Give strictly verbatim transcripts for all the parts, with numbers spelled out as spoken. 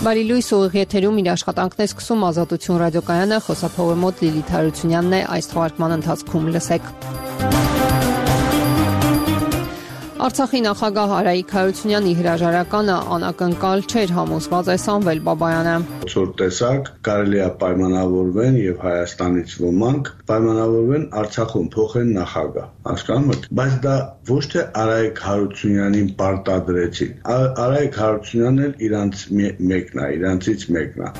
Բարի լույս, ուղիղ եթերում իր աշխատանքն է սկսում Ազատություն ռադիոկայանը, խոսափողի մոտ Լիլիթ Հարությունյանն է, այս թողարկման ընթացքում լսեք։ Արցախի նախագահ Արայիկ Հարությունյանի հրաժարականը անակնկալ չէր, համոզված է Սամվել Բաբայանը։ Որ տեսակ կարելի է պայմանավորվեն եւ Հայաստանից ոմանք պայմանավորվեն Արցախում փոխեն նախագահ, հասկանում եք, բայց դա ոչ թե Արայիկ Հարությունյանին պարտադրեցին։ Արայիկ Հարությունյանն էլ իրանց մեկն է, իրանցից մեկն է։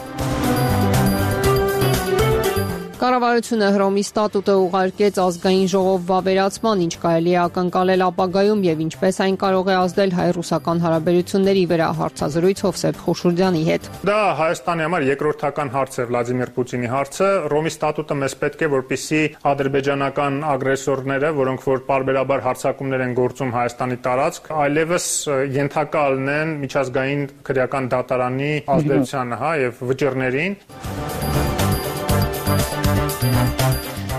Կառավարությունը Հռոմի ստատուտը ուղարկեց ազգային ժողով վավերացման, ինչ կարելի է ակնկալել ապագայում եւ ինչպես այն կարող է ազդել հայ-ռուսական հարաբերությունների վրա, հարցազրույց Հովսեփ Խուշուրդյանի հետ։ Դա Հայաստանի համար երկրորդական հարց է Վլադիմիր Պուտինի հարցը։ Հռոմի ստատուտը մեզ պետք է, որպեսզի ադրբեջանական ագրեսորները, որոնք որ պարբերաբար հարձակումներ են գործում Հայաստանի տարածք, այլևս ենթակա լինեն միջազգային քրեական դատարանի ազդեցությանը, հա, եւ վճիռներին։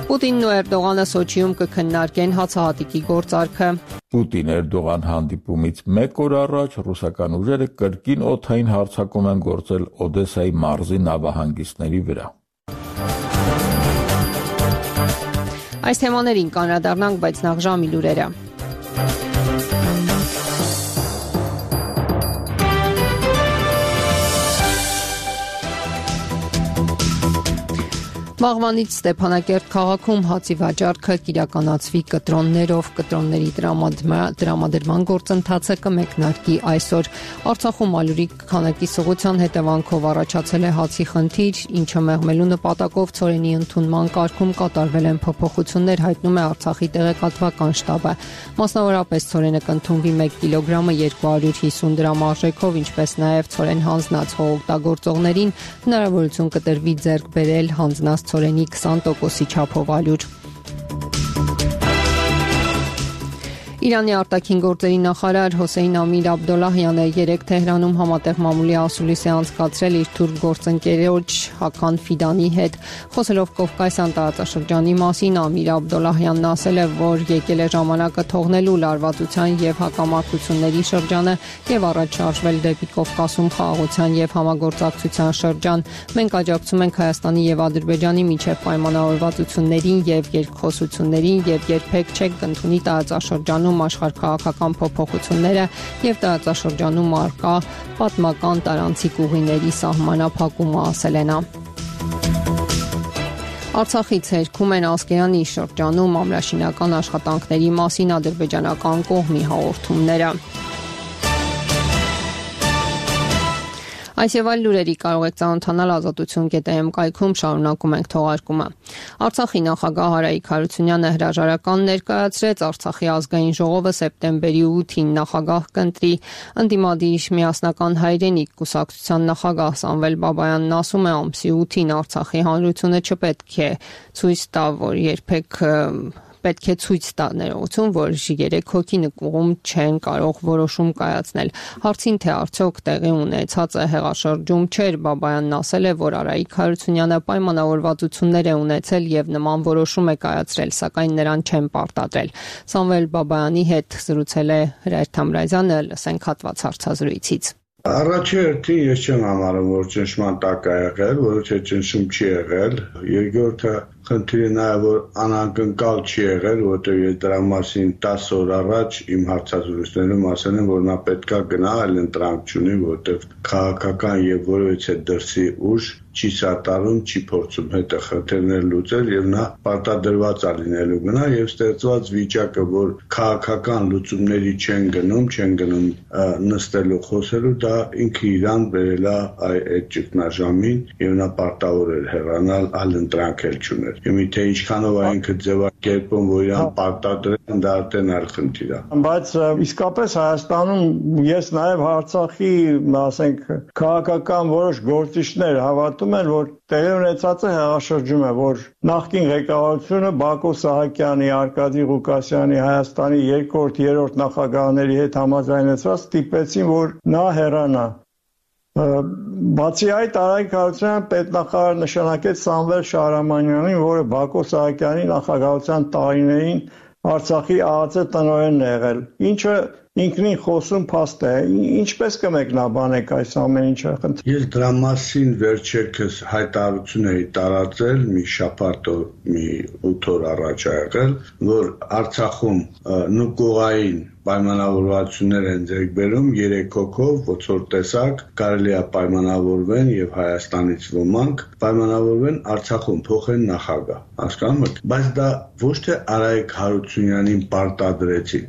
Պուտինն ու Էրդողանը Սոչիում կքննարկեն հացահատիկի գործարքը։ Պուտին-Էրդողան հանդիպումից մեկ օր առաջ ռուսական ուժերը կրկին օդային հարձակում են գործել Օդեսայի մարզի նավահանգիստների վրա։ Այս թեմաներին կանրադառնանք, բայց նախ ժամի լուրերը։ Վաղվանից Ստեփանակերտ քաղաքում հացի վաճառքը կիրականացվի կտրոններով, կտրոնների տրամադրման գործընթացը կմեկնարկի այսօր։ Արցախում ալյուրի քանակի սղության հետևանքով առաջացել է հացի խնդիր, ինչը մեղմելու նպատակով ցորենի ընդունման կարգում կատարվել են փոփոխություններ, հայտնում է Արցախի տեղեկատվական շտաբը։ Մասնավորապես ցորենը կընդունվի մեկ կիլոգրամը երկու հարյուր հիսուն դրամ արժեքով, ինչպես նաև ցորեն հանձնած օգտագործողներին հնարավորություն կտրվի ձեռք բերել հանձնած ցորենի քսան տոկոսի չափով ալյուր։ Իրանի արտաքին գործերի նախարար Հոսեյն Ամիր Աբդոլլահյանը երեկ Թեհրանում համատեղ մամուլի ասուլիս է անցկացրել իր թուրք գործընկերոջ Հական Ֆիդանի հետ։ Խոսելով Կովկասյան տարածաշրջանի մասին, Ամիր Աբդոլլահյանն ասել է, որ եկել է ժամանակը թողնելու լարվածության եւ հակամարտությունների շրջանը եւ առաջ շարժվել դեպի Կովկասում խաղաղության եւ համագործակցության շրջան։ Մենք աջակցում ենք Հայաստանի եւ Ադրբեջանի միջև պայմանավորվածություններին եւ երկխոսություններին եւ երբեք չենք կընդունի տարածաշրջանում աշխարհքաղաքական փոփոխությունները եւ տարածաշրջանում արկա պատմական տարանցիկ ուղիների սահմանափակումը, ասել է նա։ Արցախից հերքում են Ասկերանի շրջանում ամրաշինական աշխատանքների մասին ադրբեջանական կողմի հաղորդումները։ Այս եւ այլ լուրերի կարող եք ծանոթանալ ազատություն կետ է էմ կայքում, շարունակում ենք թողարկումը։ Արցախի նախագահ Արայիկ Հարությունյանը հրաժարական ներկայացրեց, Արցախի ազգային ժողովը սեպտեմբերի ութին նախագահ կընտրի։ Ընդդիմադիր միասնական հայրենիք կուսակցության նախագահ Սամվել Բաբայանն ասում է, ամսի ութին Արցախի հանրությունը չպետք է ցույց տա, որ երբեք պետք է ցույց տա ներողություն, որ երեք հոգի նկուղում չեն կարող որոշում կայացնել։ Հարցին թե արդյոք տեղի ունեցածը հեղաշրջում չէր, Բաբայանն ասել է, որ Արայիկ Հարությունյանը պայմանավորվածություններ է ունեցել եւ նման որոշում է կայացրել, սակայն նրան չեն պարտադրել։ Սամվել Բաբայանի հետ զրուցել է Հրայր Թամրազյանը, լսենք հատված հարցազրույցից։ Առաջի հերթին ես չեմ համարում, որ ճնշման տակ է եղել, որովհետեւ ճնշում չի եղել։ Երկրորդը խնդիրը նաև որ անակնկալ չի եղել, որովհետեւ ես դրա մասին տասը օր առաջ իմ հարցազրույցներում ասել եմ, որ նա պետքա գնա, այլ ընտրանք չունի, որովհետեւ քաղաքական եւ որևիցե դրսի ուժ չի սատարում, չի փորձում հետը խնդիրներ լուծել եւ նա պարտադրված է լինելու գնա եւ ստեղծված վիճակը, որ քաղաքական լուծումների չեն գնում, չեն գնում նստելու խոսելու, դա ինքը իրան բերել է այդ ճգնաժամին եւ նա պարտավոր էր հեռանալ, այլ ընտրանք էլ չուներ։ Եվ թե ինչքանով է ինքը ձևակերպում, որ իրան պարտադրեն, դա արդեն այլ խնդիր է։ Բայց իսկապես Հայաստանում ես նաեւ Արցախի, ասենք, քաղաքական որոշ գործիչներ հավատում են, որ տեղի ունեցածը հեղաշրջում է, որ նախկին ղեկավարությունը Բակո Սահակյանի, Արկադի Ղուկասյանի, Հայաստանի երկրորդ, երրորդ նախագահների հետ համաձայնեցված ստիպեցին, որ նա հեռանա։ Բացի այդ, Արայիկ Հարությունյանը պետնախարար նշանակեց Սամվել Շահրամանյանին, որը Բակո Սահակյանի նախագահության տարիներին Արցախի ԱԱԾ տնօրենն է եղել, ինչը ինքնին խոսում փաստ է։ Ինչպես կմեկնաբանեք այս ամեն ինչը։ Ես դրա մասին վերջերս հայտարարություն էի տարածել մի շաբաթ մի ութ օր առաջ ա եղել, որ Արցախում նուկողային պայմանավորվածություններ են ձեռք բերում երեք հոգով, ոցոր տեսակ, կարելի է պայմանավորվեն եւ Հայաստանից ոմանք պայմանավորվեն Արցախում փոխեն նախագահ, հասկանում եք, բայց դա ոչ թե Արայք Հարությունյանին պարտադրեցին,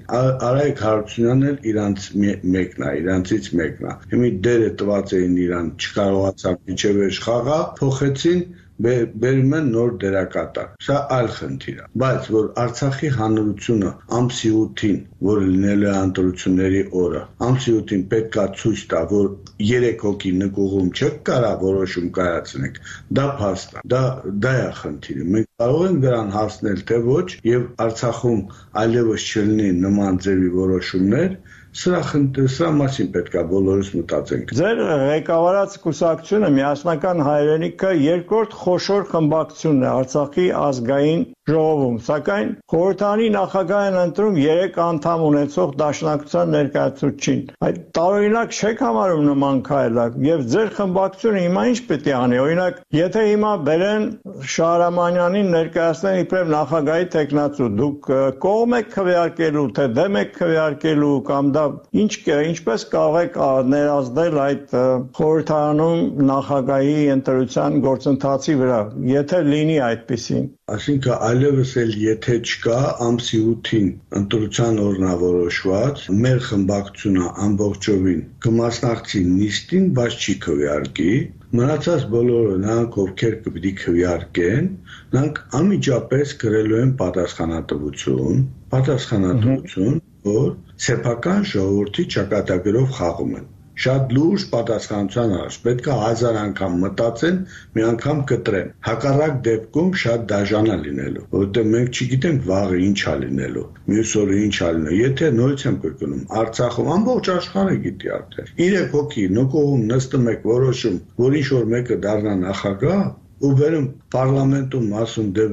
Արայք Հարությունյանն էլ իրանց մեկն է, իրանցից մեկն է, հիմի դերը տված էին իրան, չկարողացավ միջև էջ խաղա, փոխեցին բերում են նոր դերակատար, սա այլ խնդիր է, բայց որ Արցախի հանրությունը ամսի ութին, որ լինելու է ընտրությունների օրը, ամսի ութին պետք է ցույց տա, որ երեք հոգի նկուղում չեք կարա որոշում կայացնեք, դա փաստ է, դա դա է խնդիրը, մենք կարող ենք դրան հասնել թե ոչ եւ Արցախում այլևս չլինի նման ձևի որոշումներ, Սրա սրա մասին պետք է բոլորս մտածենք։ Ձեր ղեկավարած կուսակցությունը Միասնական հայրենիքը երկրորդ խոշոր խմբակցությունն է Արցախի ազգային ժողովում, սակայն խորհրդանի նախագահ են ընտրում երեք անդամ ունեցող դաշնակցության ներկայացուցիչին։ Այդ տարօրինակ չեք համարում նման քայլակ եւ ձեր խմբակցությունը հիմա ինչ պետք է անի։ Օրինակ, եթե հիմա բերեն Շահրամանյանին ներկայացնեն իբրև նախագահի տեխնացու, դուք կողմ եք քվեարկելու, թե դեմ եք քվեարկելու կամ դա ինչ ինչպես կարող եք ներազդել այդ խորհրդարանում նախագահի ընտրության գործընթացի վրա, եթե լինի այդպեսին։ Այսինքն այլևս էլ եթե չկա ամսի ութին ընտրության օրնավորոշված, մեր խմբակցությունը ամբողջովին կմասնակցի նիստին, բայց չի քվեարկի, մնացած բոլորը նրանք ովքեր կպիտի քվեարկեն, նրանք անմիջապես կրելու են պատասխանատվություն, պատասխանատվություն, որ սեփական ժողովրդի ճակատագրով խաղում են։ Շատ լուրջ պատասխանատվության առաջ պետք է հազար անգամ մտածեն, մի անգամ կտրեն։ Հակառակ դեպքում շատ դաժան է լինելու, որովհետև մենք չգիտենք վաղը ինչ է լինելու, մյուս օրը ինչ է լինելու։ Եթե նույնից եմ կրկնում, Արցախում ամբողջ աշխարհը գիտի արդեն։ Երեք հոգի նկողում նստում եք որոշում, որ ինչ որ մեկը դառնա նախագահ, ու վերում պարլամենտում ասում դե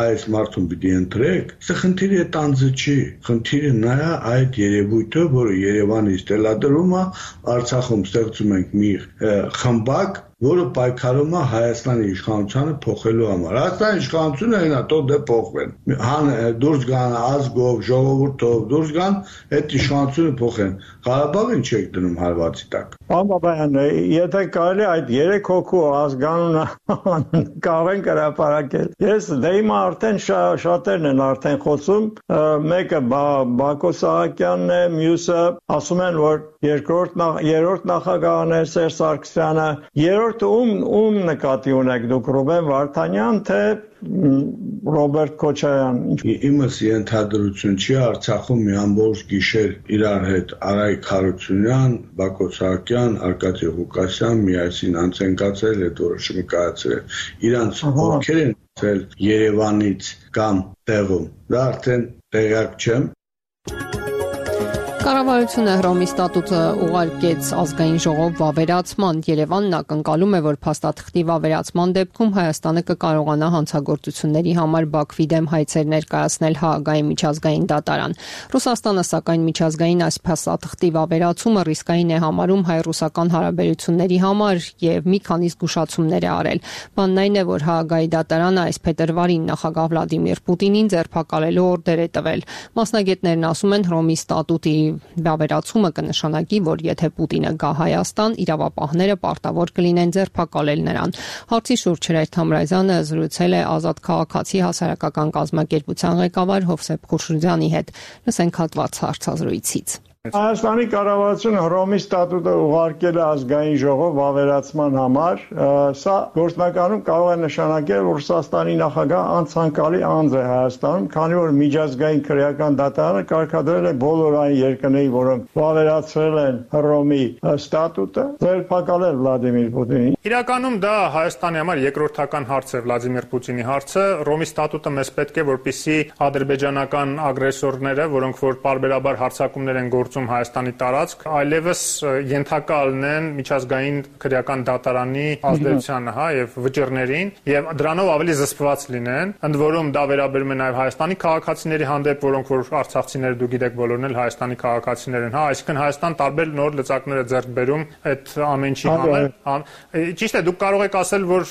այս մարդուն պիտի ընտրեք, սա խնդիրը տանձը չի, խնդիրը նա է այդ երևույթը, որը Երևանից դելադրում է, Արցախում ստեղծում ենք մի խմբակ, որը պայքարում է Հայաստանի իշխանությանը փոխելու համար։ Հայաստանի իշխանությունը այնա թող դե փոխվեն։ Հան դուրս գան ազգով, ժողովուրդով, դուրս գան այդ իշխանությունը փոխեն։ Ղարաբաղին չեք դնում հարվածի տակ։ Պարոն Բաբայան, եթե կարելի այդ երեք հոգու ազգանունը կարող են հրապարակել։ Ես դե հիմա արդեն շատերն են արդեն խոսում, մեկը Բակո Սահակյանն է, մյուսը ասում են, որ երկրորդ երրորդ նախագահն է Սերժ Սարգսյանը, երրորդը ում ում նկատի ունեք դուք Ռուբեն Վարդանյան, թե Ռոբերտ Քոչարյան։ Իմս ենթադրություն չի, Արցախում մի ամբողջ գիշեր իրար հետ Արայք Հարությունյան, Բակո Սահակյան, Արկադի Ղուկասյան միասին անց են կացել այդ որոշումը կայացրել։ Իրանց ովքեր են ցել Երևանից կամ տեղում։ Դա արդեն տեղյակ չեմ։ Կառավարությունը Հռոմի ստատուտը ուղարկեց ազգային ժողով վավերացման։ Երևանն ակնկալում է, որ փաստաթղթի վավերացման դեպքում Հայաստանը կկարողանա հանցագործությունների համար Բաքվի դեմ հայցեր ներկայացնել Հաագայի միջազգային դատարան։ Ռուսաստանը, սակայն, միջազգային այս փաստաթղթի վավերացումը ռիսկային է համարում հայ-ռուսական հարաբերությունների համար եւ մի քանի զգուշացումներ է արել։ Բանն այն է, որ Հաագայի դատարանը այս փետրվարին նախագահ Վլադիմիր Պուտինին ձերբակալելու օրդեր է տվել։ Մասնագետներն ասում են, Հռոմի ստատուտի վավերացումը կնշանակի, որ եթե Պուտինը գա Հայաստան, իրավապահները պարտավոր կլինեն ձերբակալել նրան։ Հարցի շուրջ Հրայր Թամրազյանը զրուցել է Ազատ քաղաքացի հասարակական կազմակերպության ղեկավար Հովսեփ Խուշուրյանի հետ։ Լսենք հատված հարցազրույցից։ Հայաստանի կառավարությունը Հռոմի ստատուտը ուղարկել է ազգային ժողով վավերացման համար, սա գործնականում կարող է նշանակել, որ Ռուսաստանի նախագահ անցանկալի անձ է Հայաստանում, քանի որ միջազգային քրեական դատարանը կարգադրել է բոլոր այն երկրների, որոնք վավերացրել են Հռոմի ստատուտը, ձերբակալել Վլադիմիր Պուտինին։ Իրականում դա Հայաստանի համար երկրորդական հարց է Վլադիմիր Պուտինի հարցը։ Հռոմի ստատուտը մեզ պետք է, որպեսզի ադրբեջանական ագրեսորները, որոնք որ պարբերաբար հարձակումներ են գործում գործում Հայաստանի տարածք, այլևս ենթակա լինեն միջազգային քրեական դատարանի ազդեցությանը, հա, եւ վճիռներին, եւ դրանով ավելի զսպված լինեն։ Ընդ որում դա վերաբերում է նաեւ Հայաստանի քաղաքացիների հանդեպ, որոնք որ արցախցիները դուք գիտեք բոլորն էլ Հայաստանի քաղաքացիներ են, հա, այսինքն Հայաստան տարբեր նոր լծակներ է ձեռք բերում այդ ամեն ինչի համար։ Ճիշտ է, դուք կարող եք ասել, որ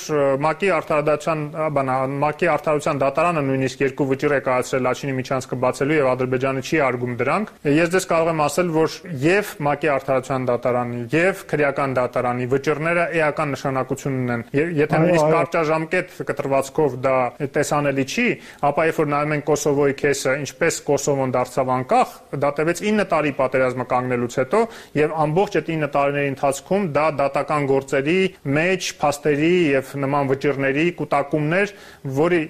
ՄԱԿ-ի արդարադատության, բանա, ՄԱԿ-ի արդարության դատարանը նույնիսկ երկու վճիռ է կայացրել Լաչինի միջանցքը բացելու եւ Ադրբեջանը չի արգում դրանք։ Ես դες կարող եմ ասել, որ եւ ՄԱԿ-ի արդարության դատարանի եւ քրեական դատարանի վճիռները էական նշանակություն ունեն։ Եթե նույնիսկ կարճաժամկետ կտրվածքով դա տեսանելի չի, ապա երբ որ նայում են Կոսովոյի քեսը, ինչպես Կոսովոն դարձավ անկախ, դա տևեց ինը տարի պատերազմը կանգնելուց հետո եւ ամբողջ այդ ինը տարիների ընթացքում դա դատական գործերի մեջ փաստերի եւ նման վճիռների կուտակումներ, որի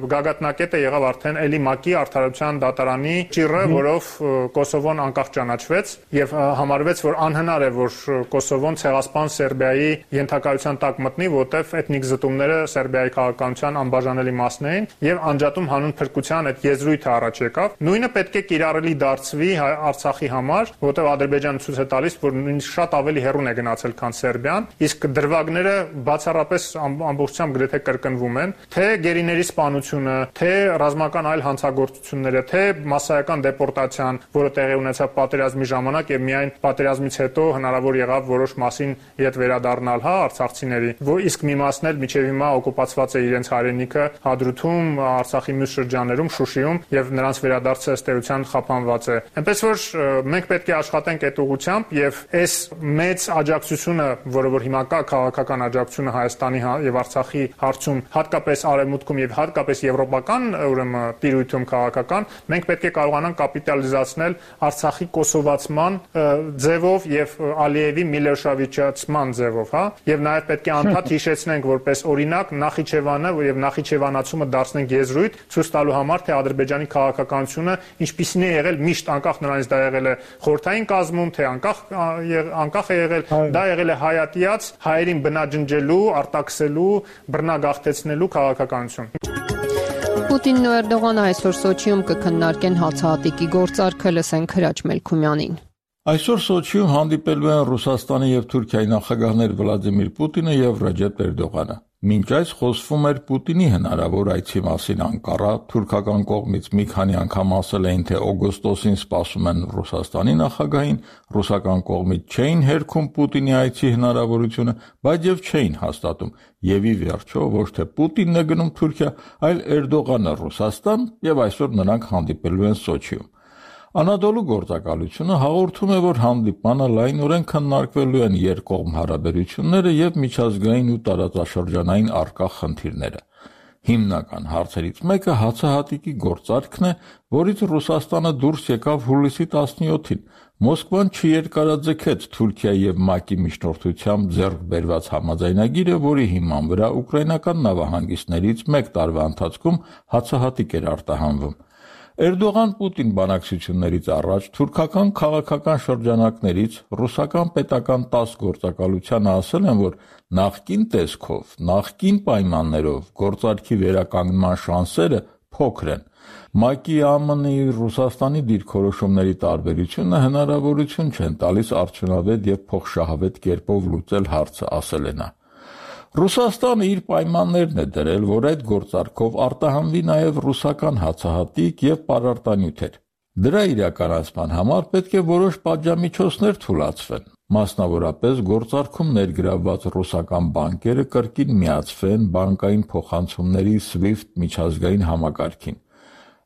գագաթնակետը եղավ արդեն էլի ՄԱԿ-ի արդարության դատարանի ճիռը, որով Կոսովոն անկախ ճանաչվեց եւ համարվեց, որ անհնար է, որ Կոսովոն ցեղասպան Սերբիայի ենթակայության տակ մտնի, որտեղ էթնիկ զտումները Սերբիայի քաղաքականության անբաժանելի մասն էին եւ անջատում հանուն փրկության այդ եզրույթը առաջ եկավ։ Նույնը պետք է կիրառելի դարձվի Արցախի համար, որտեղ Ադրբեջանը ցույց է տալիս, որ նույնիսկ շատ ավելի հեռուն է գնացել, քան Սերբիան, իսկ դրվագները բացառապես ամբողջությամբ գրեթե կրկնվում են, թե գերիների սպանությունը, թե ռազմական այլ հանցագործությունները, թե մասսայական դեպորտացիան, որը տեղի ունեցավ պատերազմի ժամանակ եւ միայն պատերազմից հետո հնարավոր եղավ որոշ մասին իդ վերադառնալ, հա, արցախցիների, որ իսկ մի մասն էլ միջև հիմա օկուպացված է իրենց հայրենիքը Հադրութում, Արցախի մյուս շրջաններում, Շուշիում եւ նրանց վերադարձը ըստ էության խափանված է։ Այնպես որ մենք պետք է աշխատենք այդ ուղղությամբ եւ այս մեծ աջակցությունը, որը որ հիմա կա քաղաքական աջակցությունը Հայաստանի եւ Արցախի հարցում, հատկապես արևմուտքում եւ հատկապես եվրոպական, ուրեմն տիրույթում քաղաքական, մենք պետք է կարողանանք կապիտալիզացնել Արցախի կոսովացման ձևով եւ Ալիևի Միլոշավիչացման ձևով, հա, եւ նաեւ պետք է անդադ հիշեցնենք որպես օրինակ Նախիջևանը եւ Նախիջևանացումը դարձնենք եզրույթ ցույց տալու համար, թե Ադրբեջանի քաղաքականությունը ինչպիսին է եղել միշտ անկախ նրանից դա եղել է խորհրդային կազմում, թե անկախ անկախ է եղել, դա եղել է հայատյաց հայերին բնաջնջելու, արտաքսելու, բռնագաղթեցնելու քաղաքականություն։ Պուտինն ու Էրդողանը այսօր Սոչիում կքննարկեն հացահատիկի գործարքը, լսենք Հրաչ Մելքումյանին։ Այսօր Սոչիում հանդիպելու են Ռուսաստանի եւ Թուրքիայի նախագահներ Վլադիմիր Պուտինը եւ Ռեջեփ Էրդողանը։ Մինչ այս խոսվում էր Պուտինի հնարավոր այցի մասին Անկարա, թուրքական կողմից մի քանի անգամ ասել էին, թե օգոստոսին սպասում են Ռուսաստանի նախագահին, ռուսական կողմից չէին հերքում Պուտինի այցի հնարավորությունը, բայց եւ չէին հաստատում։ Եվ ի վերջո ոչ թե Պուտինն է գնում Թուրքիա, այլ Էրդողանը Ռուսաստան, եւ այսօր նրանք հանդիպելու են Սոչիում։ Անադոլու գործակալությունը հաղորդում է, որ հանդիպանը լայնորեն քննարկվելու են երկկողմ հարաբերությունները եւ միջազգային ու տարածաշրջանային առկա խնդիրները։ Հիմնական հարցերից մեկը հացահատիկի գործարքն է, որից Ռուսաստանը դուրս եկավ հուլիսի տասնյոթին։ Մոսկվան չերկարաձգեց Թուրքիայի եւ ՄԱԿ-ի միջնորդությամբ ձեռք բերված համաձայնագիրը, որի հիման վրա ուկրաինական նավահանգիստներից մեկ տարվա ընթացքում հացահատիկ էր արտահանվում։ Էրդողան-Պուտին բանակցություններից առաջ թուրքական քաղաքական շրջանակներից ռուսական պետական տաս գործակալությանը ասել են, որ նախկին տեսքով, նախկին պայմաններով գործարքի վերականգնման շանսերը փոքր են։ ՄԱԿ-ի, ԱՄՆ-ի, Ռուսաստանի դիրքորոշումների տարբերությունը հնարավորություն չեն տալիս արդյունավետ եւ փոխշահավետ կերպով լուծել հարցը, ասել է նա։ Ռուսաստանը իր պայմաններն է դրել, որ այդ գործարքով արտահանվի նաև ռուսական հացահատիկ եւ պարարտանյութեր։ Դրա իրականացման համար պետք է որոշ պատժամիջոցներ թույլատրվեն։ Մասնավորապես գործարքում ներգրավված ռուսական բանկերը կրկին միացվեն բանկային փոխանցումների SWIFT միջազգային համակարգին։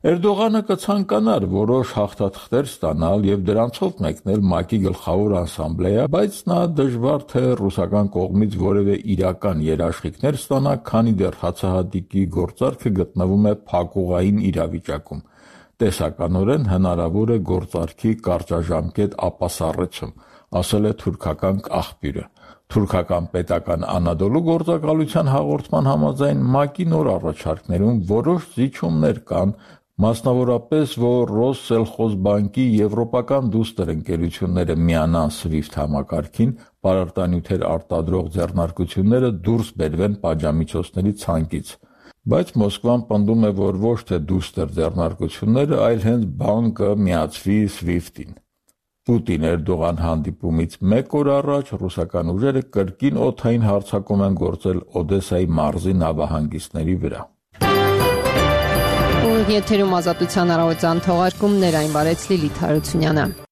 Էրդողանը կցանկանար որոշ հաղթաթղթեր ստանալ եւ դրանցով մեկնել ՄԱԿ-ի գլխավոր ասամբլեա, բայց նա դժվար թե ռուսական կողմից որևէ իրական երաշխիքներ ստանա, քանի դեռ հացահատիկի գործարքը գտնվում է փակուղային իրավիճակում։ Տեսականորեն հնարավոր է գործարքի կարճաժամկետ ապասառեցում, ասել է թուրքական աղբյուրը։ Թուրքական պետական Անադոլու գործակալության հաղորդման համաձայն ՄԱԿ-ի նոր առաջարկներում որոշ զիջումներ կան, մասնավորապես, որ Ռոսսելխոզբանկի եվրոպական դուստր ընկերությունները միանան SWIFT համակարգին, պարարտանյութեր արտադրող ձեռնարկությունները դուրս բերվեն պատժամիջոցների ցանկից։ Բայց Մոսկվան պնդում է, որ ոչ թե դուստր ձեռնարկությունները, այլ հենց բանկը միացվի SWIFT-ին։ Պուտին-Էրդողան հանդիպումից մեկ օր առաջ ռուսական ուժերը կրկին օդային հարձակում են գործել Օդեսայի մարզի նավահանգիստների վրա։ Եթերում Ազատության առավոտյան թողարկումներ, այն վարեց Լիլիթ Հարությունյանը։